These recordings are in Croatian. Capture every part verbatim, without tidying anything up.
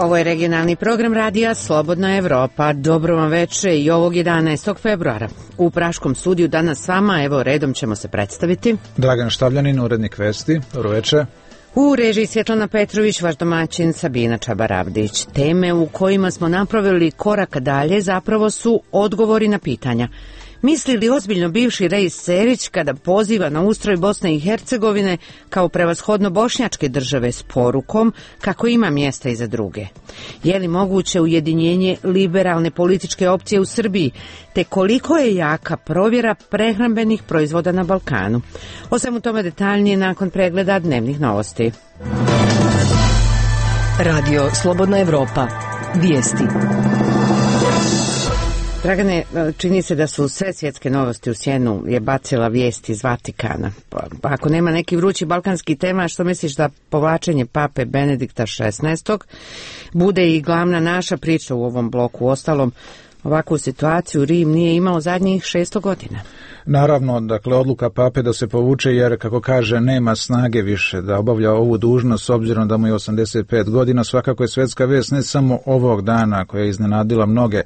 Ovo je regionalni program radija Slobodna Evropa. Dobro vam veče i ovog jedanaestog februara. U Praškom studiju danas s vama, evo redom ćemo se predstaviti. Dragan Štavljanin, urednik Vesti. Dobro veče. U režiji Svjetlana Petrović, vaš domaćin Sabina Čabaravdić. Teme u kojima smo napravili korak dalje zapravo su odgovori na pitanja. Misli li ozbiljno bivši Rejs Cerić kada poziva na ustroj Bosne i Hercegovine kao prevashodno bošnjačke države s porukom kako ima mjesta i za druge? Je li moguće ujedinjenje liberalne političke opcije u Srbiji, te koliko je jaka provjera prehrambenih proizvoda na Balkanu? O svemu tome detaljnije nakon pregleda dnevnih novosti. Radio Slobodna Evropa. Vijesti. Dragane, čini se da su sve svjetske novosti u sjenu je bacila vijest iz Vatikana. Pa, ako nema neki vrući balkanski tema, što misliš da povlačenje pape Benedikta šesnaestog bude i glavna naša priča u ovom bloku? Ostalom, ovakvu situaciju Rim nije imao zadnjih šesto godina. Naravno, dakle, odluka pape da se povuče jer, kako kaže, nema snage više da obavlja ovu dužnost s obzirom da mu je osamdeset pet godina, svakako je svjetska vijest ne samo ovog dana koja je iznenadila mnoge,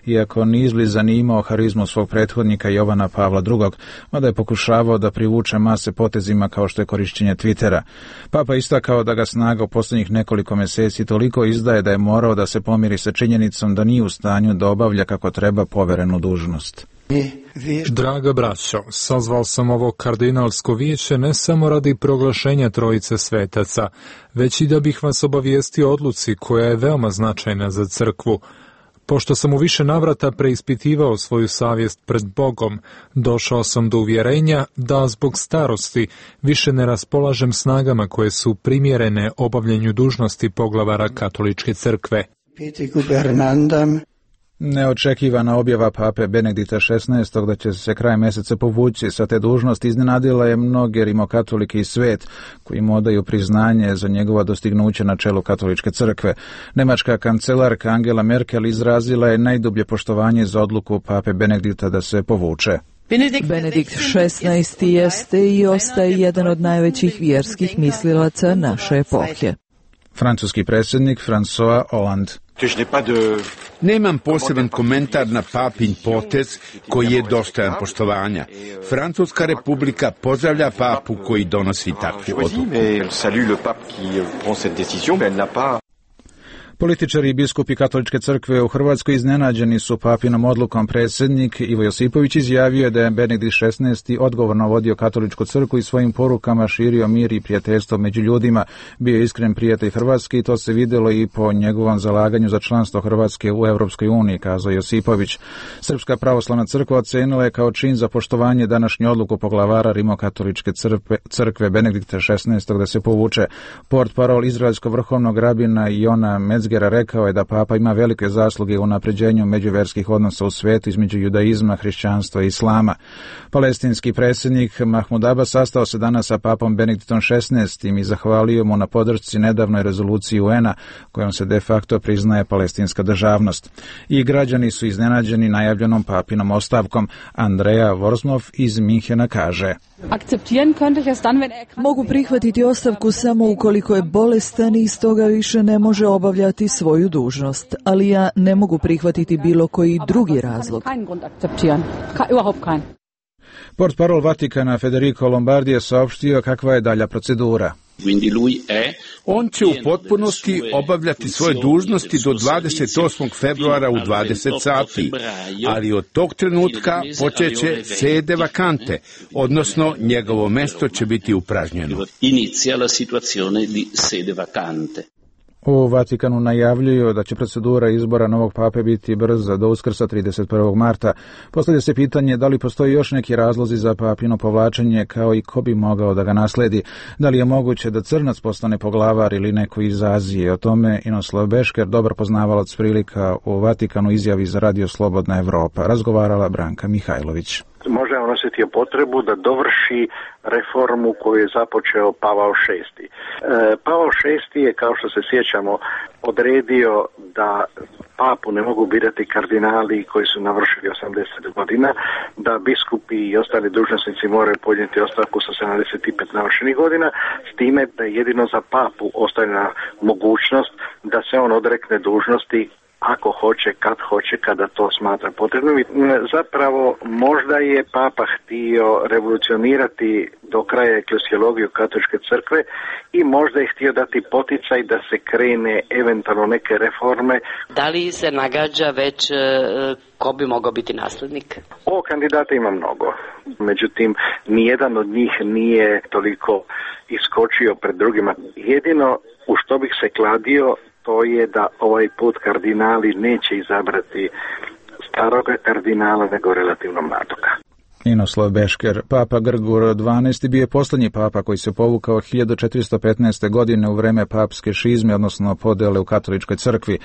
iako ni izbliza nije imao harizmu svog prethodnika Jovana Pavla drugog, mada je pokušavao da privuče mase potezima kao što je korišćenje Twittera. Papa istakao da ga snaga u posljednjih nekoliko mjeseci toliko izdaje da je morao da se pomiri sa činjenicom da nije u stanju da obavlja kako treba poverenu dužnost. Draga braćo, sazval sam ovo kardinalsko vijeće ne samo radi proglašenja trojice svetaca, već i da bih vas obavijestio o odluci koja je veoma značajna za crkvu. Pošto sam u više navrata preispitivao svoju savjest pred Bogom, došao sam do uvjerenja da zbog starosti više ne raspolažem snagama koje su primjerene obavljanju dužnosti poglavara katoličke crkve. Neočekivana objava pape Benedikta šesnaestog da će se kraj mjeseca povući sa te dužnosti iznenadila je mnoge rimokatolike i svijet koji mu odaju priznanje za njegova dostignuća na čelu katoličke crkve. Nemačka kancelarka Angela Merkel izrazila je najdublje poštovanje za odluku pape Benedikta da se povuče. Benedikt šesnaesti jeste i ostaje jedan od najvećih vjerskih mislilaca naše epohe. Francuski predsjednik François Hollande. Nemam poseban komentar na papin potez koji je dostojan poštovanja. Francuska republika pozdravlja papu koji donosi takvu odluku. Političari i biskupi katoličke crkve u Hrvatskoj iznenađeni su papinom odlukom. Predsjednik Ivo Josipović izjavio da je Benedikt šesnaesti odgovorno vodio katoličku crkvu i svojim porukama širio mir i prijateljstvo među ljudima. Bio je iskren prijatelj Hrvatske i to se vidjelo i po njegovom zalaganju za članstvo Hrvatske u Europskoj uniji, kazao Josipović. Srpska pravoslavna crkva ocenila je kao čin za poštovanje današnju odluku poglavara rimokatoličke crkve, crkve Benedikta šesnaestog da se povuče. Portparol izraelskog vrhovnog rabina Jona Metzgera rekao je da papa ima velike zasluge u unapređenju međuvjerskih odnosa u svijetu između judaizma, hrišćanstva i islama. Palestinski predsjednik Mahmud Abbas sastao se danas sa papom Benediktom šesnaestim i zahvalio mu na podršci nedavnoj rezoluciji U N-a kojom se de facto priznaje palestinska državnost. I građani su iznenađeni najavljenom papinom ostavkom. Andreja Vorsmov iz Minhena kaže: Mogu prihvatiti ostavku samo ukoliko je bolestan i stoga više ne može obavljati svoju dužnost, ali ja ne mogu prihvatiti bilo koji drugi razlog. Portparol Vatikana Federico Lombardi je saopštio kakva je dalja procedura. On će u potpunosti obavljati svoje dužnosti do dvadeset osmog februara u dvadeset sati, ali od tog trenutka počeće sede vakante, odnosno njegovo mjesto će biti upražnjeno. U Vatikanu najavljuju da će procedura izbora novog pape biti brza do Uskrsa trideset prvog marta. Postavlja se pitanje da li postoji još neki razlozi za papino povlačenje, kao i ko bi mogao da ga nasledi. Da li je moguće da Crnac postane poglavar ili neko iz Azije? O tome Inoslav Bešker, dobar poznavalac prilika u Vatikanu, izjavi za Radio Slobodna Evropa. Razgovarala Branka Mihajlović. Možda je on osjetio potrebu da dovrši reformu koju je započeo Pavao šesti. E, Pavao šesti je, kao što se sjećamo, odredio da papu ne mogu birati kardinali koji su navršili osamdeset godina, da biskupi i ostali dužnosnici moraju podnijeti ostavku sa sedamdeset pet navršenih godina, s time da je jedino za papu ostavljena mogućnost da se on odrekne dužnosti ako hoće, kad hoće, kada to smatra potrebnim. Zapravo, možda je papa htio revolucionirati do kraja eklesiologiju katoličke crkve i možda je htio dati poticaj da se krene eventualno neke reforme. Da li se nagađa već ko bi mogao biti naslednik? O kandidata ima mnogo. Međutim, nijedan od njih nije toliko iskočio pred drugima. Jedino u što bih se kladio, to je da ovaj put kardinali neće izabrati staroga kardinala, nego relativno mladoga. Ninoslav Bešker. Papa Grgur dvanaesti bio je posljednji papa koji se povukao hiljadu četiristo petnaeste. godine u vreme papske šizme, odnosno podele u katoličkoj crkvi.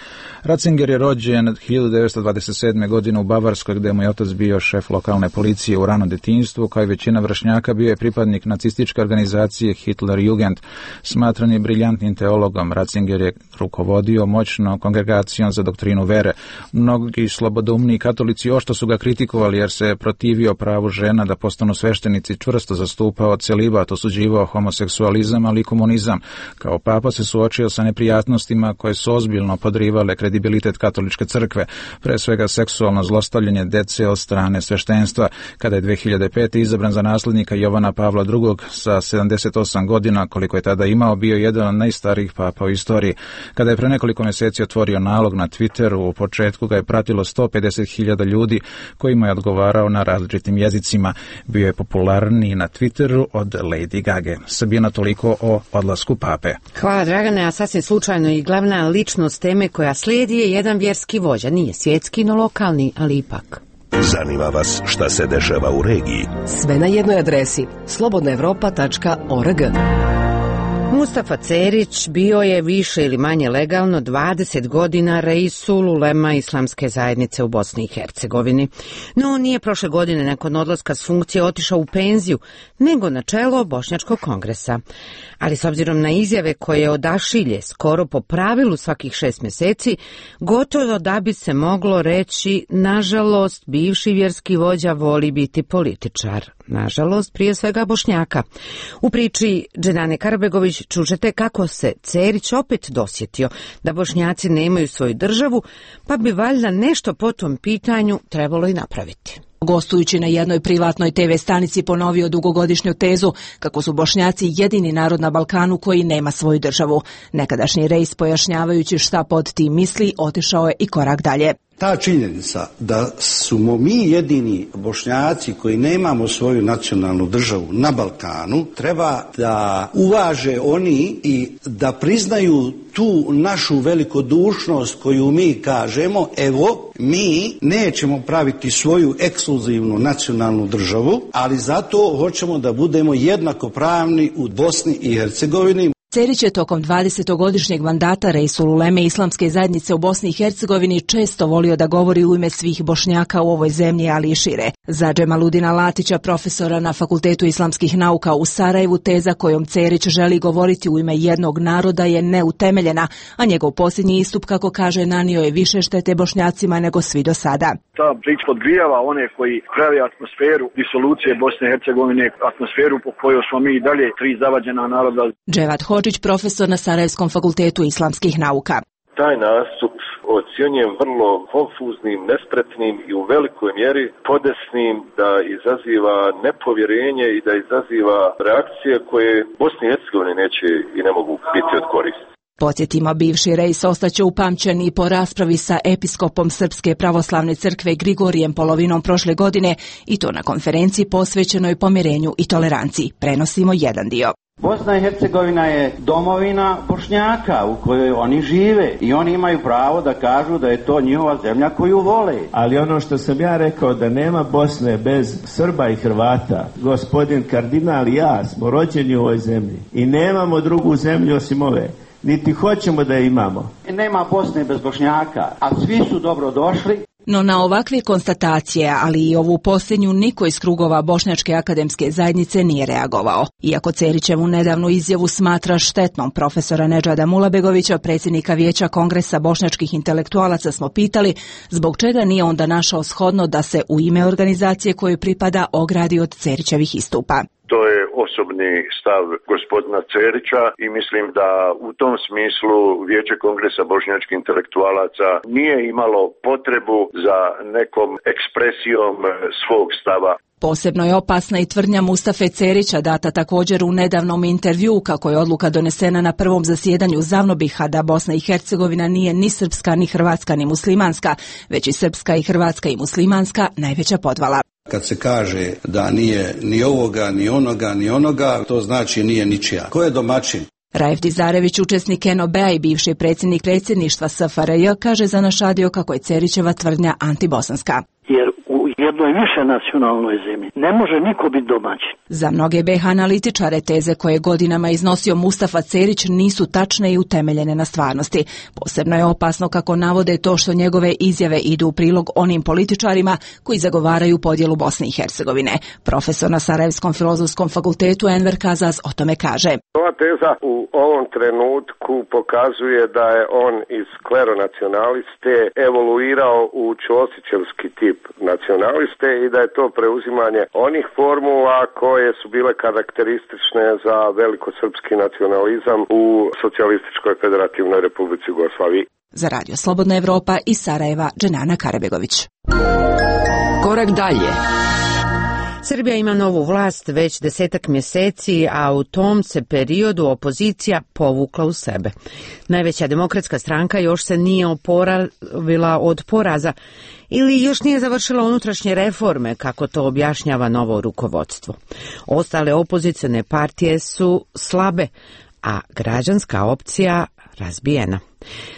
Ratzinger je rođen hiljadu devetsto dvadeset sedme. godine u Bavarskoj, gdje mu je otac bio šef lokalne policije u ranom djetinjstvu. Kao i većina vršnjaka, bio je pripadnik nacističke organizacije Hitlerjugend. Smatran je briljantnim teologom. Ratzinger je rukovodio moćnom kongregacijom za doktrinu vere. Mnogi slobodoumni katolici ošto su ga kritikovali jer se protivio pravu žena da postanu sveštenici, čvrsto zastupao celibat, osuđivao homoseksualizam, ali i komunizam. Kao papa se suočio sa neprijatnostima koje su ozbiljno podrivale kredibilitet katoličke crkve, pre svega seksualno zlostavljanje dece od strane sveštenstva. Kada je dve hiljade pete. izabran za naslednika Jovana Pavla drugog sa sedamdeset osam godina, koliko je tada imao, bio jedan od najstarijih papa u istoriji. Kada je pre nekoliko mjeseci otvorio nalog na Twitteru, u početku ga je pratilo sto pedeset hiljada ljudi kojima je odgovarao na različitim jezicima. Bio je popularniji na Twitteru od Lady Gage. Sabina, toliko o odlasku pape. Hvala, Dragane, a sasvim slučajno i glavna ličnost teme koja slijedi je jedan vjerski vođa. Nije svjetski, no lokalni, ali ipak. Zanima vas šta se dešava u regiji? Sve na jednoj adresi slobodna evropa tačka org. Mustafa Cerić bio je više ili manje legalno dvadeset godina Reisul ulema islamske zajednice u Bosni i Hercegovini. No nije prošle godine nakon odlaska s funkcije otišao u penziju, nego na čelo Bošnjačkog kongresa. Ali s obzirom na izjave koje odašilje skoro po pravilu svakih šest mjeseci, gotovo da bi se moglo reći, nažalost, bivši vjerski vođa voli biti političar. Nažalost, prije svega Bošnjaka. U priči Dženane Karbegović čućete kako se Cerić opet dosjetio da Bošnjaci nemaju svoju državu, pa bi valjda nešto po tom pitanju trebalo i napraviti. Gostujući na jednoj privatnoj te ve stanici ponovio dugogodišnju tezu kako su Bošnjaci jedini narod na Balkanu koji nema svoju državu. Nekadašnji Reis, pojašnjavajući šta pod tim misli, otišao je i korak dalje. Ta činjenica da smo mi jedini Bošnjaci koji nemamo svoju nacionalnu državu na Balkanu, treba da uvaže oni i da priznaju tu našu velikodušnost koju mi kažemo, evo, mi nećemo praviti svoju ekskluzivnu nacionalnu državu, ali zato hoćemo da budemo jednakopravni u Bosni i Hercegovini. Cerić je tokom dvadesetogodišnjeg mandata Reisul uleme islamske zajednice u Bosni i Hercegovini često volio da govori u ime svih Bošnjaka u ovoj zemlji, ali i šire. Za Džemaludina Latića, profesora na Fakultetu islamskih nauka u Sarajevu, teza kojom Cerić želi govoriti u ime jednog naroda je neutemeljena, a njegov posljednji istup, kako kaže, nanio je više štete Bošnjacima nego svi do sada. Ta priča podgrijava one koji pravi atmosferu disolucije Bosne i Hercegovine, atmosferu po kojoj smo mi i dalje tri zavađena naroda. Dževat Hodžić, profesor na Sarajevskom fakultetu islamskih nauka. Taj nastup ocjenjujem vrlo konfuznim, nespretnim i u velikoj mjeri podesnim, da izaziva nepovjerenje i da izaziva reakcije koje Bosni i Hercegovini neće i ne mogu biti od koristi. Podsjetimo, bivši Reis ostaće upamćen i po raspravi sa episkopom Srpske pravoslavne crkve Grigorijem polovinom prošle godine, i to na konferenciji posvećenoj pomirenju i toleranciji. Prenosimo jedan dio. Bosna i Hercegovina je domovina Bošnjaka u kojoj oni žive i oni imaju pravo da kažu da je to njihova zemlja koju vole. Ali ono što sam ja rekao, da nema Bosne bez Srba i Hrvata, gospodin kardinal i ja smo rođeni u ovoj zemlji i nemamo drugu zemlju osim ove. niti hoćemo da je imamo. Nema Bosne bez Bošnjaka, a svi su dobro došli. No na ovakve konstatacije, ali i ovu posljednju, niko iz krugova Bošnjačke akademske zajednice nije reagovao. Iako Cerićevu nedavnu izjavu smatra štetnom, profesora Nedžada Mulabegovića, predsjednika Vijeća Kongresa bošnjačkih intelektualaca, smo pitali zbog čega nije onda našao shodno da se u ime organizacije kojoj pripada ogradi od Cerićevih istupa. To je osobni stav gospodina Cerića i mislim da u tom smislu Vijeće Kongresa bošnjačkih intelektualaca nije imalo potrebu za nekom ekspresijom svog stava. Posebno je opasna i tvrdnja Mustafe Cerića, data također u nedavnom intervjuu, kako je odluka donesena na prvom zasjedanju Zavnobiha da Bosna i Hercegovina nije ni srpska, ni hrvatska, ni muslimanska, već i srpska i hrvatska i muslimanska najveća podvala. Kad se kaže da nije ni ovoga, ni onoga, ni onoga, to znači nije ničija. Ko je domaćin? Raif Dizarević, učesnik N O B-a i bivši predsjednik predsjedništva S F R J, kaže za naš radio kako je Cerićeva tvrdnja antibosanska. Jer u jednoj više nacionalnoj zemlji ne može niko biti domaćin. Za mnoge B H analitičare teze koje godinama iznosio Mustafa Cerić nisu tačne i utemeljene na stvarnosti. Posebno je opasno kako navode to što njegove izjave idu u prilog onim političarima koji zagovaraju podjelu Bosne i Hercegovine. Profesor na Sarajevskom filozofskom fakultetu Enver Kazaz o tome kaže. Ova teza u ovom trenutku pokazuje da je on iz kleronacionaliste evoluirao u ćosićevski tip nacionaliste i da je to preuzimanje onih formula koje su bile karakteristične za velikosrpski nacionalizam u Socijalističkoj federativnoj Republici Jugoslaviji. Za Radio Slobodna Evropa iz Sarajeva, Dženana Karabegović. Korak dalje. Srbija ima novu vlast već desetak mjeseci, a u tom se periodu opozicija povukla u sebe. Najveća demokratska stranka još se nije oporavila od poraza ili još nije završila unutrašnje reforme, kako to objašnjava novo rukovodstvo. Ostale opozicione partije su slabe, a građanska opcija razbijena.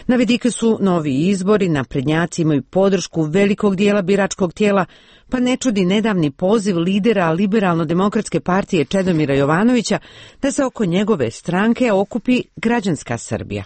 Na vidiku su novi izbori, naprednjaci imaju podršku velikog dijela biračkog tijela, pa ne čudi nedavni poziv lidera Liberalno-demokratske partije Čedomira Jovanovića da se oko njegove stranke okupi građanska Srbija.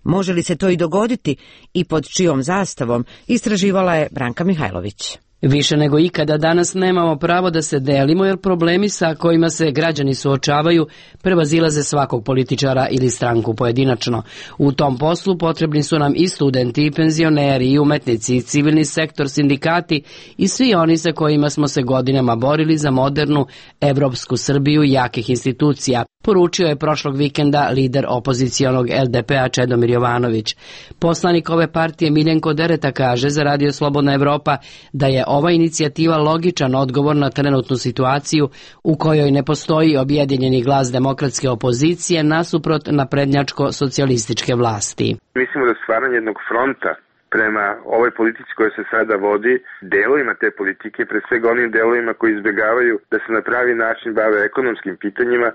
Može li se to i dogoditi i pod čijom zastavom, istraživala je Branka Mihajlović. Više nego ikada danas nemamo pravo da se delimo jer problemi sa kojima se građani suočavaju prevazilaze svakog političara ili stranku pojedinačno. U tom poslu potrebni su nam i studenti, i penzioneri, i umetnici, i civilni sektor, sindikati i svi oni sa kojima smo se godinama borili za modernu evropsku Srbiju i jakih institucija, poručio je prošlog vikenda lider opozicionog L D P-a Čedomir Jovanović. Poslanik ove partije Miljenko Dereta kaže za Radio Slobodna Evropa da je ova inicijativa logičan odgovor na trenutnu situaciju u kojoj ne postoji objedinjeni glas demokratske opozicije nasuprot naprednjačko-socijalističke vlasti. Mislimo da stvaranje jednog fronta prema ovoj politici koja se sada vodi, delovima te politike, pre svega onim delovima koji izbjegavaju da se na pravi način bave ekonomskim pitanjima,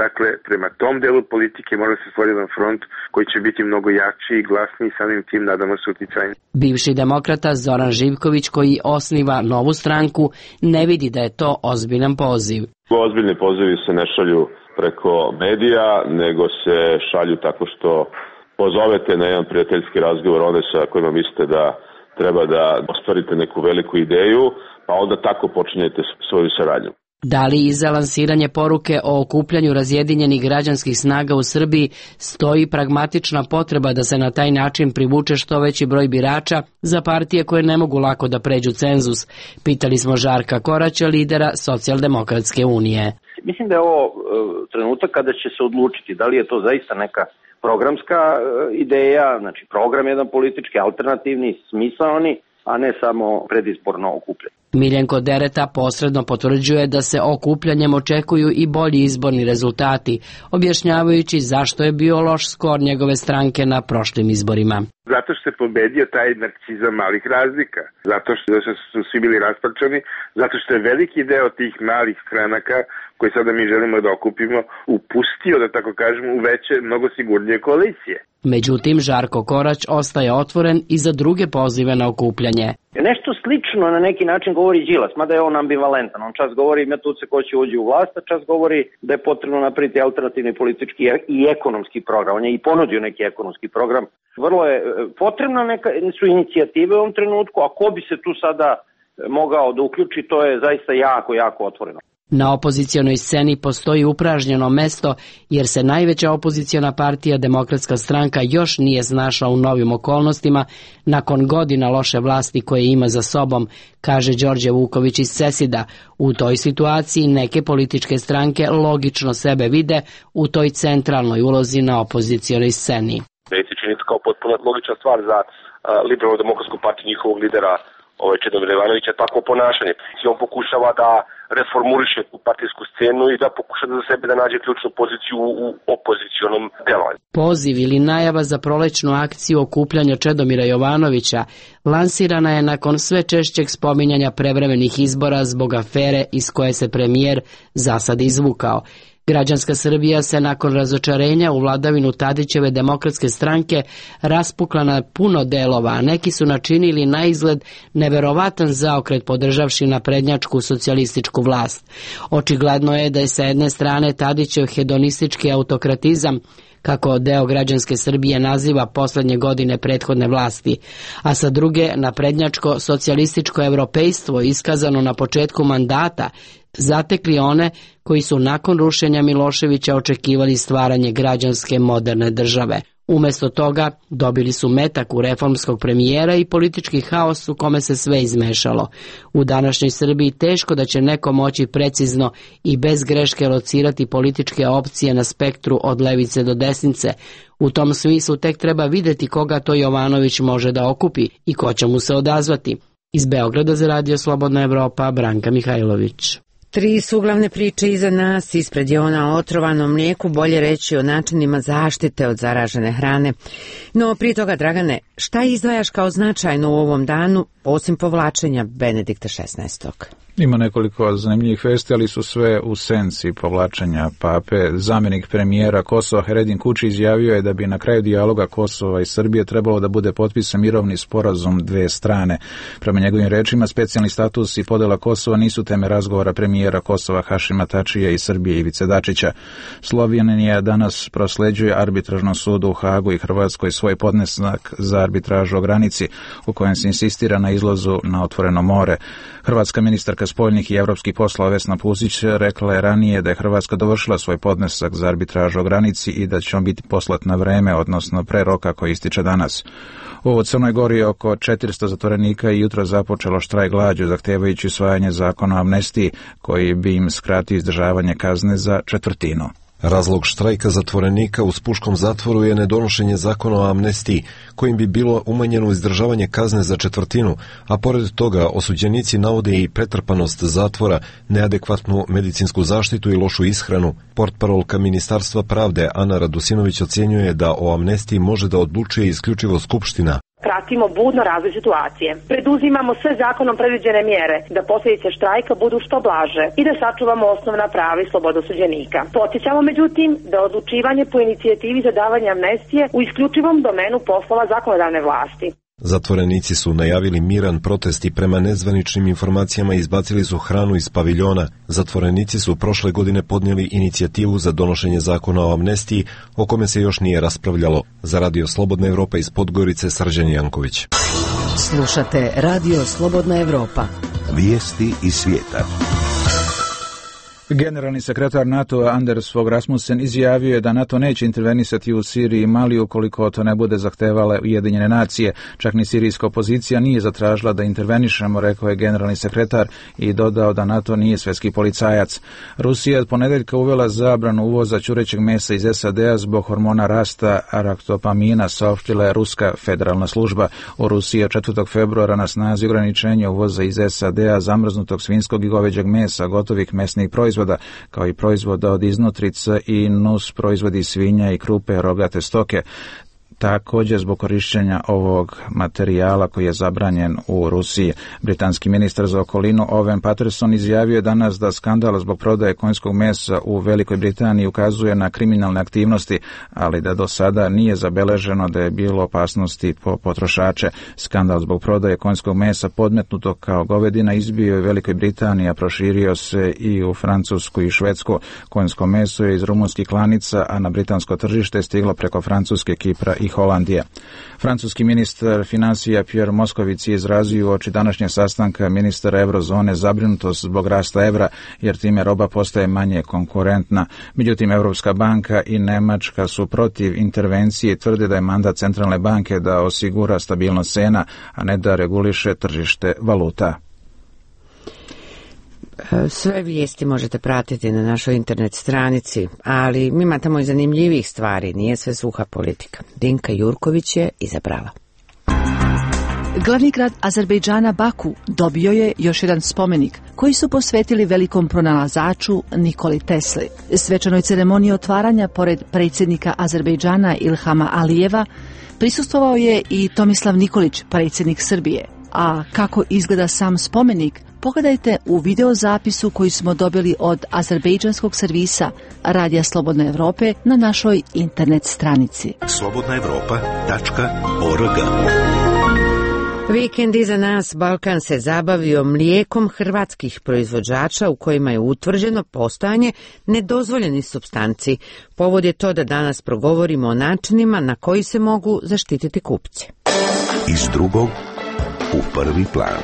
dakle, prema tom delu politike mora se stvoriti jedan front koji će biti mnogo jači i glasniji i samim tim, nadamo se, uticajni. Bivši demokrata Zoran Živković, koji osniva novu stranku, ne vidi da je to ozbiljan poziv. Ozbiljni pozivi se ne šalju preko medija, nego se šalju tako što pozovete na jedan prijateljski razgovor one sa kojima mislite da treba da ostvarite neku veliku ideju, pa onda tako počinjete svoju saradnju. Da li iza lansiranje poruke o okupljanju razjedinjenih građanskih snaga u Srbiji stoji pragmatična potreba da se na taj način privuče što veći broj birača za partije koje ne mogu lako da pređu cenzus? Pitali smo Žarka Koraća, lidera Socijaldemokratske unije. Mislim da je ovo uh, trenutak kada će se odlučiti da li je to zaista neka programska ideja, znači program jedan politički, alternativni, smisaoni, a ne samo predizborno okupljanje. Miljenko Dereta posredno potvrđuje da se okupljanjem očekuju i bolji izborni rezultati, objašnjavajući zašto je bio loš skor njegove stranke na prošlim izborima. Zato što je pobedio taj narcizam malih razlika, zato što su svi bili rasparčani, zato što je veliki deo tih malih stranaka koje sada mi želimo da okupimo upustio, da tako kažemo, u veće, mnogo sigurnije koalicije. Međutim, Žarko Korać ostaje otvoren i za druge pozive na okupljanje. Nešto slično na neki način govori Đilas, mada je on ambivalentan. On čas govori ima tu se ko će uđi u vlast, a čas govori da je potrebno napraviti alternativni politički i ekonomski program. On je i ponudio neki ekonomski program. Vrlo je potrebna neka, su inicijative u ovom trenutku, a ko bi se tu sada mogao da uključi, to je zaista jako, jako otvoreno. Na opozicionoj sceni postoji upražnjeno mesto jer se najveća opoziciona partija Demokratska stranka još nije snašla u novim okolnostima nakon godina loše vlasti koje ima za sobom, kaže Đorđe Vuković iz Cesida. U toj situaciji neke političke stranke logično sebe vide u toj centralnoj ulozi na opozicionoj sceni. Da je čini kao potpuno logična stvar za uh, liberalnu demokratsku partiju njihovog lidera ovaj Čedomira Jovanovića takvo ponašanje. I on pokušava da reformuriše tu partijsku scenu i da pokuša da za sebe da nađe ključnu poziciju u opozicionom delovanju. Poziv ili najava za prolećnu akciju okupljanja Čedomira Jovanovića lansirana je nakon sve češćeg spominjanja prevremenih izbora zbog afere iz koje se premijer zasad izvukao. Građanska Srbija se nakon razočarenja u vladavinu Tadićeve Demokratske stranke raspukla na puno delova, a neki su načinili na izgled neverovatan zaokret podržavši naprednjačku socijalističku vlast. Očigledno je da je sa jedne strane Tadićev hedonistički autokratizam, kako deo građanske Srbije naziva poslednje godine prethodne vlasti, a sa druge naprednjačko socijalističko evropejstvo iskazano na početku mandata zatekli one koji su nakon rušenja Miloševića očekivali stvaranje građanske moderne države. Umesto toga dobili su metak u reformskog premijera i politički haos u kome se sve izmešalo. U današnjoj Srbiji teško da će neko moći precizno i bez greške locirati političke opcije na spektru od levice do desnice. U tom smislu tek treba videti koga to Jovanović može da okupi i ko će mu se odazvati. Iz Beograda za Radio Slobodna Evropa, Branka Mihajlović. Tri su uglavne priče iza nas, ispred je ona o otrovanom mlijeku, bolje reći o načinima zaštite od zaražene hrane. No prije toga, Dragane, šta izdvajaš kao značajno u ovom danu, osim povlačenja Benedikta šesnaestog? Ima nekoliko zanimljivih vesti, ali su sve u senci povlačenja pape. Zamjenik premijera Kosova Heredin Kuči izjavio je da bi na kraju dijaloga Kosova i Srbije trebalo da bude potpisan mirovni sporazum dve strane. Prema njegovim rečima, specijalni status i podela Kosova nisu teme razgovora premijera Kosova Hašima Tačija i Srbije Ivice Dačića. Slovenija danas prosleđuje arbitražnom sudu u Hagu i Hrvatskoj svoj podnesak za arbitražu o granici, u kojem se insistira na izlazu na otvoreno more. Hrvatska ministarka spoljnih i evropskih poslova Vesna Pusić rekla je ranije da je Hrvatska dovršila svoj podnesak za arbitražu o granici i da će on biti poslat na vreme, odnosno pre roka koji ističe danas. U Crnoj Gori oko četiristo zatvorenika i jutro započelo štrajk glađu zahtevajući usvajanje zakona o amnestiji koji bi im skratio izdržavanje kazne za četvrtinu. Razlog štrajka zatvorenika u Spuškom zatvoru je nedonošenje zakona o amnestiji, kojim bi bilo umanjeno izdržavanje kazne za četvrtinu, a pored toga osuđenici navode i pretrpanost zatvora, neadekvatnu medicinsku zaštitu i lošu ishranu. Portparolka Ministarstva pravde Ana Radusinović ocjenjuje da o amnestiji može da odlučuje isključivo Skupština. Pratimo budno razvoj situacije. Preduzimamo sve zakonom predviđene mjere da posljedice štrajka budu što blaže i da sačuvamo osnovna prava i slobodu osuđenika. Podsjećamo međutim da odlučivanje po inicijativi za davanje amnestije u isključivom domenu poslova zakonodavne vlasti. Zatvorenici su najavili miran protest i prema nezvaničnim informacijama izbacili su hranu iz paviljona. Zatvorenici su prošle godine podnijeli inicijativu za donošenje zakona o amnestiji, o kome se još nije raspravljalo. Za Radio Slobodna Evropa iz Podgorice, Srđan Janković. Slušate Radio Slobodna Evropa. Vijesti iz svijeta. Generalni sekretar NATO-a Anders Fogh Rasmussen izjavio je da NATO neće intervenisati u Siriji i Mali ukoliko to ne bude zahtevale Ujedinjene nacije. Čak ni sirijska opozicija nije zatražila da intervenišemo, rekao je generalni sekretar i dodao da NATO nije svjetski policajac. Rusija je od ponedeljka uvela zabranu uvoza ćurećeg mesa iz S A D-a zbog hormona rasta araktopamina, saopštila je Ruska federalna služba. U Rusiji je četvrtog februara na snazi ograničenje uvoza iz S A D-a zamrznutog svinjskog i goveđeg mesa, gotovih mesnih proizvoda, kao i proizvoda od iznutrica i nus proizvodi svinja i krupe rogate stoke. također zbog korišćenja ovog materijala koji je zabranjen u Rusiji. Britanski ministar za okolinu Owen Paterson izjavio je danas da skandal zbog prodaje konjskog mesa u Velikoj Britaniji ukazuje na kriminalne aktivnosti, ali da do sada nije zabeleženo da je bilo opasnosti po potrošače. Skandal zbog prodaje konjskog mesa podmetnuto kao govedina izbio je u Velikoj Britaniji, a proširio se i u Francusku i Švedsku. Konjsko meso je iz rumunskih klanica, a na britansko tržište je stiglo preko Francuske, Kipra i Holandije. Francuski ministar financija Pierre Moscovici je izrazio uoči današnjeg sastanka ministara eurozone zabrinutost zbog rasta evra, jer time roba postaje manje konkurentna. Međutim, Europska banka i Nemačka su protiv intervencije i tvrde da je mandat centralne banke da osigura stabilnost cena, a ne da reguliše tržište valuta. Sve vijesti možete pratiti na našoj internet stranici, ali ima tamo i zanimljivih stvari, nije sve suha politika. Dinka Jurković je izabrala. Glavni grad Azerbejdžana Baku dobio je još jedan spomenik koji su posvetili velikom pronalazaču Nikoli Tesli. Svečanoj ceremoniji otvaranja pored predsjednika Azerbejdžana Ilhama Alijeva prisustvovao je i Tomislav Nikolić, predsjednik Srbije. A kako izgleda sam spomenik, pogledajte u videozapisu koji smo dobili od azerbejdžanskog servisa Radija Slobodne Evrope na našoj internet stranici. slobodna evropa tačka org. Vikend iza nas, Balkan se zabavio mlijekom hrvatskih proizvođača u kojima je utvrđeno postojanje nedozvoljenih supstanci. Povod je to da danas progovorimo o načinima na koji se mogu zaštititi kupci. Iz drugog u prvi plan.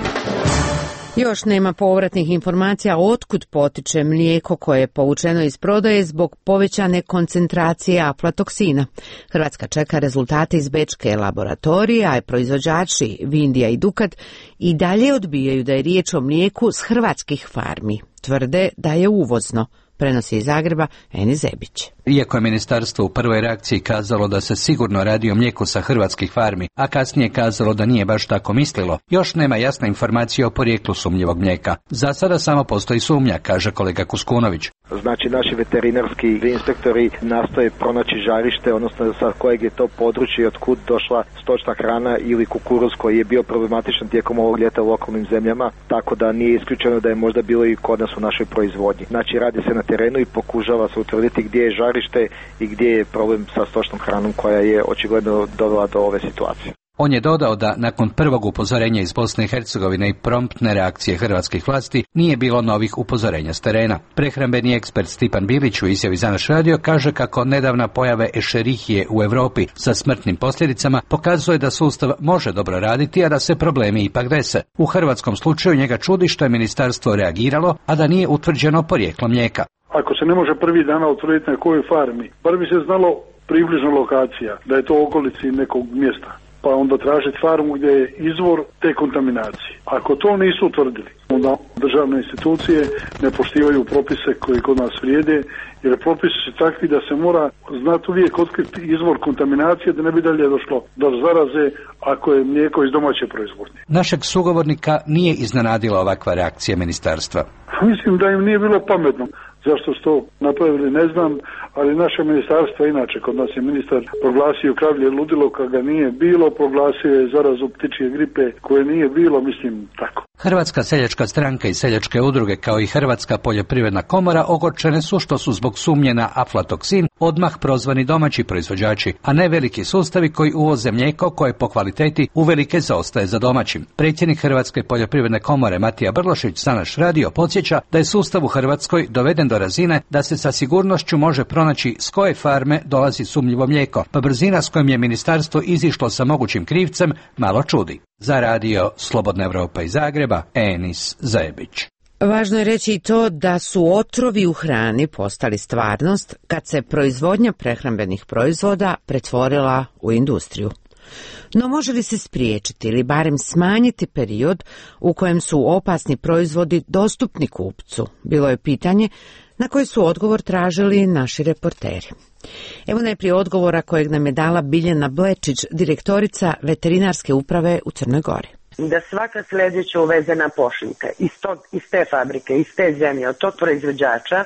Još nema povratnih informacija otkud potiče mlijeko koje je povučeno iz prodaje zbog povećane koncentracije aflatoksina. Hrvatska čeka rezultate iz bečke laboratorije, a proizvođači Vindija i Dukat i dalje odbijaju da je riječ o mlijeku s hrvatskih farmi. Tvrde da je uvozno. Prenosi iz Zagreba Eni Zebić. Iako je ministarstvo u prvoj reakciji kazalo da se sigurno radi o mlijeku sa hrvatskih farmi, a kasnije kazalo da nije baš tako mislilo, još nema jasne informacije o porijeklu sumnjivog mlijeka. Za sada samo postoji sumnja, kaže kolega Kuskunović. Znači, naši veterinarski inspektori nastoje pronaći žarište, odnosno sa kojeg je to područje i otkud došla stočna hrana ili kukuruz koji je bio problematičan tijekom ovog ljeta u okolnim zemljama, tako da nije isključeno da je možda bilo i kod nas u našoj proizvodnji. Znači, radi se na terenu i pokušava se utvrditi gdje je žarište i gdje je problem sa stočnom hranom koja je očigledno dovela do ove situacije. On je dodao da nakon prvog upozorenja iz Bosne i Hercegovine i promptne reakcije hrvatskih vlasti nije bilo novih upozorenja s terena. Prehrambeni ekspert Stipan Bilić u izjavi za naš radio kaže kako nedavna pojave ešerihije u Europi sa smrtnim posljedicama pokazuje da sustav može dobro raditi, a da se problemi ipak dese. U hrvatskom slučaju njega čudi što je ministarstvo reagiralo, a da nije utvrđeno porijeklo mlijeka. Ako se ne može prvi dana utvrditi na kojoj farmi, bar bi se znalo približno lokacija, da je to u okolici nekog mjesta, pa onda tražiti farmu gdje je izvor te kontaminacije. Ako to nisu utvrdili, onda državne institucije ne poštivaju propise koji kod nas vrijede, jer propisi su takvi da se mora znati uvijek otkriti izvor kontaminacije da ne bi dalje došlo do zaraze ako je mlijeko iz domaće proizvodnje. Našeg sugovornika nije iznenadila ovakva reakcija ministarstva. Mislim da im nije bilo pametno. Zašto su to napravili ne znam, ali naše ministarstvo, inače kod nas je ministar proglasio kravlje ludilo kad ga nije bilo, proglasio je zarazu ptičje gripe koje nije bilo, mislim tako. Hrvatska seljačka stranka i seljačke udruge kao i Hrvatska poljoprivredna komora ogorčene su što su zbog sumnje na aflatoksin odmah prozvani domaći proizvođači, a ne veliki sustavi koji uvoze mlijeko koje po kvaliteti uvelike zaostaje za domaćim. Predsjednik Hrvatske poljoprivredne komore Matija Brlošić za naš radio podsjeća da je sustav u Hrvatskoj doveden do razine da se sa sigurnošću može pronaći s koje farme dolazi sumnjivo mlijeko, pa brzina s kojom je ministarstvo izišlo sa mogućim krivcem malo čudi. Za radio Slobodna Evropa iz Zagreba, Enis Zajebić. Važno je reći i to da su otrovi u hrani postali stvarnost kad se proizvodnja prehrambenih proizvoda pretvorila u industriju. No može li se spriječiti ili barem smanjiti period u kojem su opasni proizvodi dostupni kupcu? Bilo je pitanje na koje su odgovor tražili naši reporteri. Evo najprije odgovora kojeg nam je dala Biljana Blečić, direktorica veterinarske uprave u Crnoj Gori. Da svaka sljedeća uvezena pošiljka iz, tog, iz te fabrike, iz te zemlje, od tog proizvođača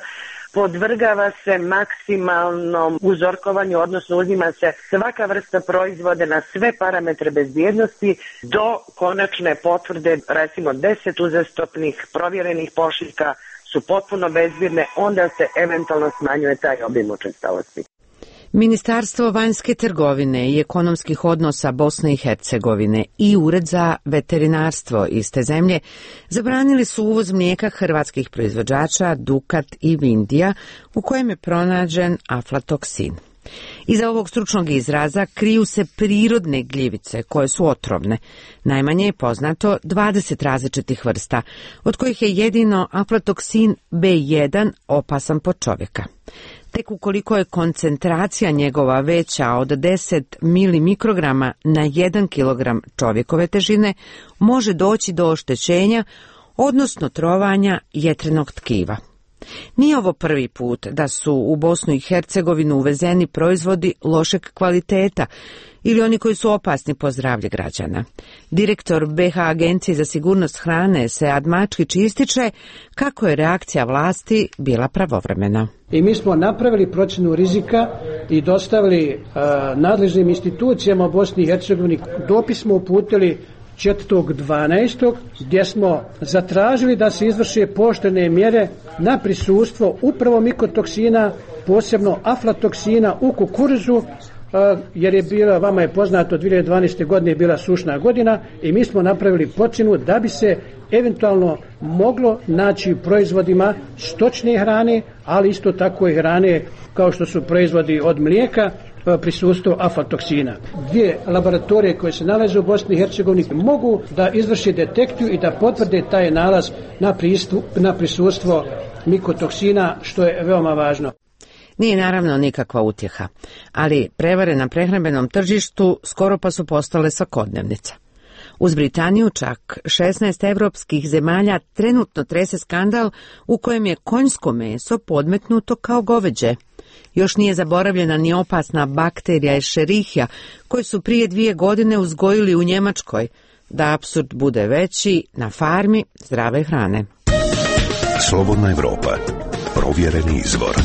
podvrgava se maksimalnom uzorkovanju, odnosno uzima se svaka vrsta proizvoda na sve parametre bezbjednosti do konačne potvrde, recimo deset uzastopnih provjerenih pošiljka su potpuno bezbjedne, onda se eventualno smanjuje taj obim učestalosti. Ministarstvo vanjske trgovine i ekonomskih odnosa Bosne i Hercegovine i Ured za veterinarstvo iste zemlje zabranili su uvoz mlijeka hrvatskih proizvođača Dukat i Vindija u kojem je pronađen aflatoksin. Iza ovog stručnog izraza kriju se prirodne gljivice koje su otrovne. Najmanje je poznato dvadeset različitih vrsta, od kojih je jedino aflatoksin be jedan opasan po čovjeka. Tek ukoliko je koncentracija njegova veća od deset milimikrograma na jedan kilogram čovjekove težine, može doći do oštećenja, odnosno trovanja jetrenog tkiva. Nije ovo prvi put da su u Bosnu i Hercegovinu uvezeni proizvodi lošeg kvaliteta ili oni koji su opasni po zdravlje građana. Direktor be ha Agencije za sigurnost hrane Sead Mačkić ističe kako je reakcija vlasti bila pravovremena. I mi smo napravili procjenu rizika i dostavili uh, nadležnim institucijama u Bosni i Hercegovini. Dopis smo uputili četvrtog dvanaestog gdje smo zatražili da se izvrše pooštrene mjere na prisustvo upravo mikotoksina, posebno aflatoksina u kukuruzu, jer je bila, vama je poznato, dvije hiljade dvanaeste. godine je bila sušna godina i mi smo napravili procjenu da bi se eventualno moglo naći u proizvodima stočne hrane, ali isto tako i hrane kao što su proizvodi od mlijeka, prisustvo aflatoksina. Dvije laboratorije koje se nalaze u Bosni i Hercegovini mogu da izvrše detekciju i da potvrde taj nalaz na, pristup, na prisustvo mikotoksina, što je veoma važno. Nije naravno nikakva utjeha, ali prevare na prehrambenom tržištu skoro pa su postale svakodnevnica. Uz Britaniju čak šesnaest evropskih zemalja trenutno trese skandal u kojem je konjsko meso podmetnuto kao goveđe. Još nije zaboravljena ni opasna bakterija Escherichia koju su prije dvije godine uzgojili u Njemačkoj, da apsurd bude veći, na farmi zdrave hrane. Slobodna Evropa. Provjereni izvor.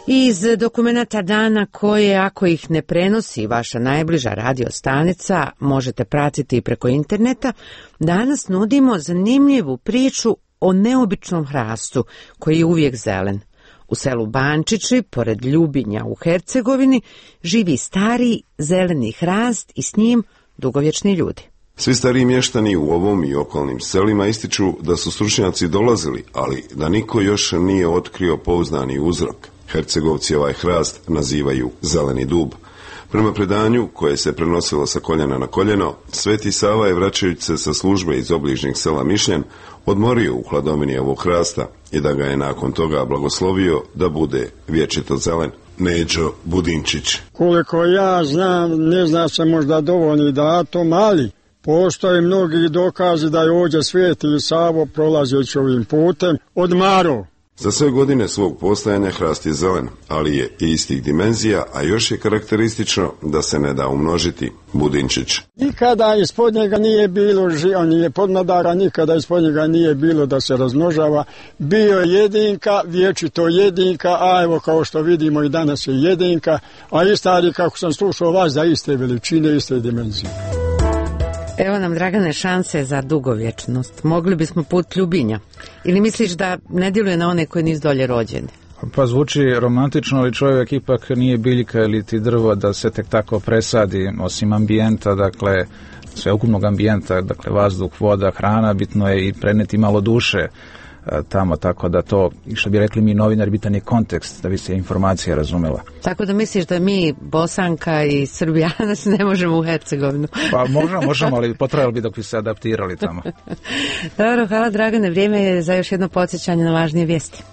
Iz dokumenata dana koje, ako ih ne prenosi vaša najbliža radiostanica, možete pratiti preko interneta, danas nudimo zanimljivu priču o neobičnom hrastu koji je uvijek zelen. U selu Bančići, pored Ljubinja u Hercegovini, živi stari zeleni hrast i s njim dugovječni ljudi. Svi stariji mještani u ovom i okolnim selima ističu da su stručnjaci dolazili, ali da niko još nije otkrio pouzdani uzrok. Hercegovci ovaj hrast nazivaju zeleni dub. Prema predanju, koje se prenosilo sa koljena na koljeno, Sveti Sava je, vraćajući se sa službe iz obližnjeg sela Mišljen, odmorio u hladovini ovog hrasta i da ga je nakon toga blagoslovio da bude vječito zelen. Neđo Budinčić. Koliko ja znam, ne zna se možda dovoljni datum, ali postoje mnogi dokazi da je ovdje Sveti Savo, prolazeći ovim putem, odmarao. Za sve godine svog postojanja hrast je zelen, ali je istih dimenzija, a još je karakteristično da se ne da umnožiti. Budinčić. Nikada ispod njega nije bilo, on je podmladara, nikada ispod njega nije bilo da se razmnožava. Bio je jedinka, vječito jedinka, a evo kao što vidimo i danas je jedinka, a i stari, kako sam slušao vas, za iste veličine, iste dimenzije. Evo nam, Dragane, šanse za dugovječnost. Mogli bismo put Ljubinja. Ili misliš da ne djeluje na one koji nisu dolje rođeni? Pa zvuči romantično, ali čovjek ipak nije biljka ili ti drvo da se tek tako presadi, osim ambijenta, dakle, sveukupnog ambijenta, dakle, vazduh, voda, hrana, bitno je i preneti malo duše tamo, tako da to, što bi rekli mi novinari, bitan je kontekst, da bi se informacija razumela. Tako da misliš da mi, Bosanka i Srbijana, se ne možemo u Hercegovinu? Pa možemo, možemo, ali potrajalo bi dok bi se adaptirali tamo. Dobro, hvala Dragane, vrijeme je za još jedno podsjećanje na važnije vijesti.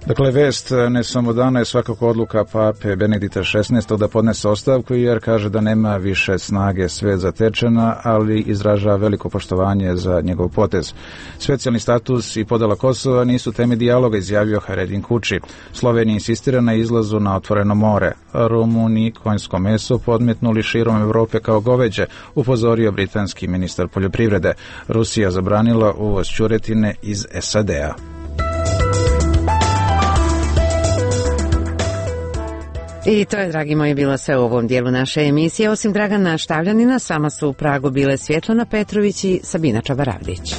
Dakle, vest ne samo dana je svakako odluka pape Benedikta šesnaestog da podnese ostavku, jer kaže da nema više snage svet zatečena, ali izražava veliko poštovanje za njegov potez. Specijalni status i podela Kosova nisu teme dijaloga, izjavio Haredin Kuči. Slovenija insistira na izlazu na otvoreno more. Rumuni konjsko meso podmetnuli širom Evrope kao goveđe, upozorio britanski ministar poljoprivrede. Rusija zabranila uvoz ćuretine iz S A D-a. I to je, dragi moji, bilo sve u ovom dijelu naše emisije. Osim Dragana Štavljanina, sama su u Pragu bile Svjetlana Petrović i Sabina Čabaravdić.